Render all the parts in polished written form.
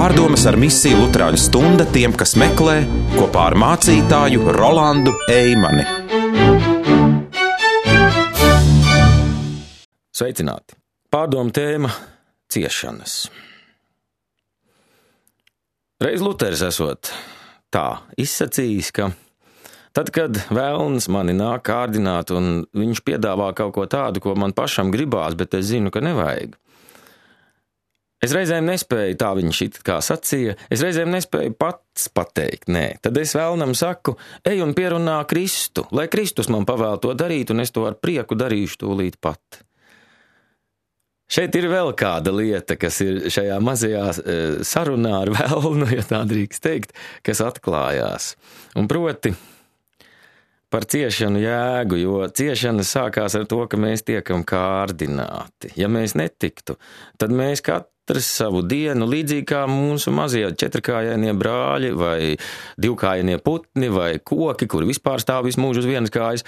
Pārdomas ar misiju Luterāņu stunda tiem, kas meklē, kopā ar mācītāju Rolandu Eimani. Sveicināti! Pārdomu tēma – ciešanas. Reiz Luteris esot tā izsacījis, ka tad, kad vēlns mani nāk kārdināt un viņš piedāvā kaut ko tādu, ko man pašam gribās, bet es zinu, ka nevajag. Es reizēm nespēju, tā viņš it kā sacīja, es reizēm nespēju pats pateikt, nē. Tad es vēlnam saku, ej un pierunā Kristu, lai Kristus man pavēl to darīt, un es to ar prieku darīšu tūlīt pat. Šeit ir vēl kāda lieta, kas ir šajā mazajā sarunā ar vēlnu, ja tā drīkst teikt, kas atklājās. Un proti par ciešanu jēgu, jo ciešana sākās ar to, ka mēs tiekam kārdināti. Ja mēs netiktu, tad mēs katrs savu dienu, līdzīgi kā mūsu mazie četrkājainie brāļi vai divkājainie putni vai koki, kuri vispār stāv visu mūžu uz vienas kājas,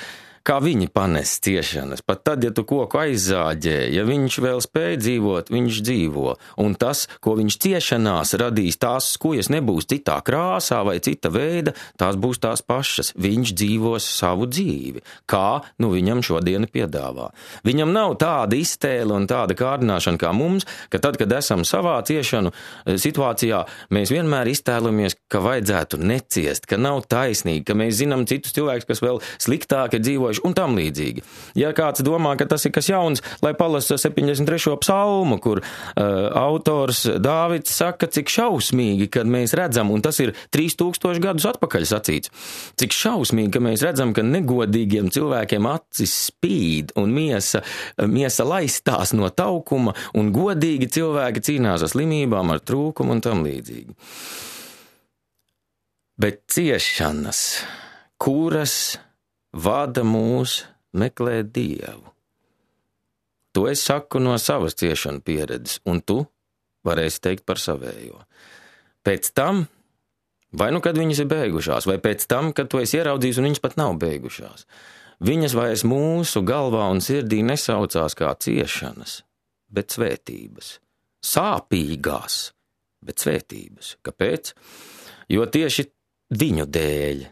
kā viņi panes ciešanas. Pat tad, ja tu koku aizzāģē, ja viņš vēl spēj dzīvot, viņš dzīvo. Un tas, ko viņš ciešanās radīs, tās skujas nebūs citā krāsā vai cita veida, tās būs tās pašas. Viņš dzīvos savu dzīvi. Kā nu viņam šodien piedāvā? Viņam nav tāda iztēle un tāda kārdināšana kā mums, ka tad, kad esam savā ciešanu situācijā, mēs vienmēr iztēlamies, ka vajadzētu neciest, ka nav taisnīgi, ka mēs zinām citus cilvēkus, kas vēl sliktāk ir dzīvojuši un tam līdzīgi. Ja kāds domā, ka tas ir kas jauns, lai palasa 73. psalmu, kur autors Dāvids saka, cik šausmīgi, kad mēs redzam, un tas ir 3000 gadus atpakaļ sacīts, cik šausmīgi, ka mēs redzam, ka negodīgiem cilvēkiem acis spīd un miesa laistās no taukuma, un godīgi cilvēki cīnās ar slimībām, ar trūkumu un tam līdzīgi. Bet ciešanas, kuras vada mūs meklēt Dievu. To es saku no savas ciešanu pieredzes, un tu varēsi teikt par savējo. Pēc tam, vai nu kad viņas ir beigušās, vai pēc tam, kad tu esi ieraudzījis un viņas pat nav beigušās, viņas vairs mūsu galvā un sirdī nesaucās kā ciešanas, bet svētības. Sāpīgās, bet svētības. Kāpēc? Jo tieši viņu dēļ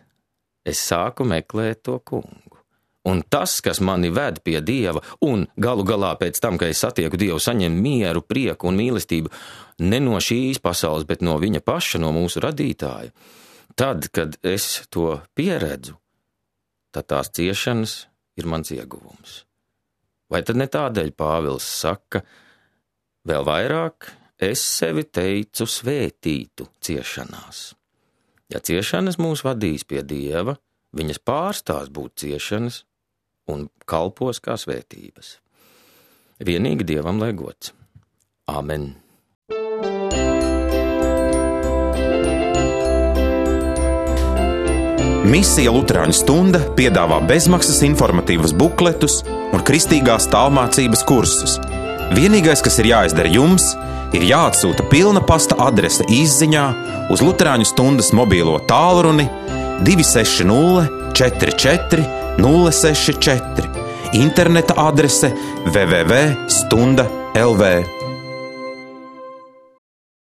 es sāku meklēt to kungu. Un tas, kas mani ved pie Dieva, un galu galā pēc tam, kad es satieku Dievu, saņem mieru, prieku un mīlestību ne no šīs pasaules, bet no viņa paša, no mūsu radītāja, tad, kad es to pieredzu, tad tās ciešanas ir mans ieguvums. Vai tad ne tādēļ Pāvils saka, vēl vairāk es sevi teicu svētītu ciešanās. Ja ciešanas mūs vadīs pie Dieva, viņas pārstās būt ciešanas un kalpos kā svētības. Vienīgi Dievam lai gods. Amen. Misija Luterāņu stunda piedāvā bezmaksas informatīvas bukletus un kristīgās tālmācības kursus. Vienīgais, kas ir jāizdara jums, ir jāatsūta pilna pasta adrese izziņā uz Luterāņu stundas mobīlo tālruni 260 44 064, interneta adrese www.stunda.lv.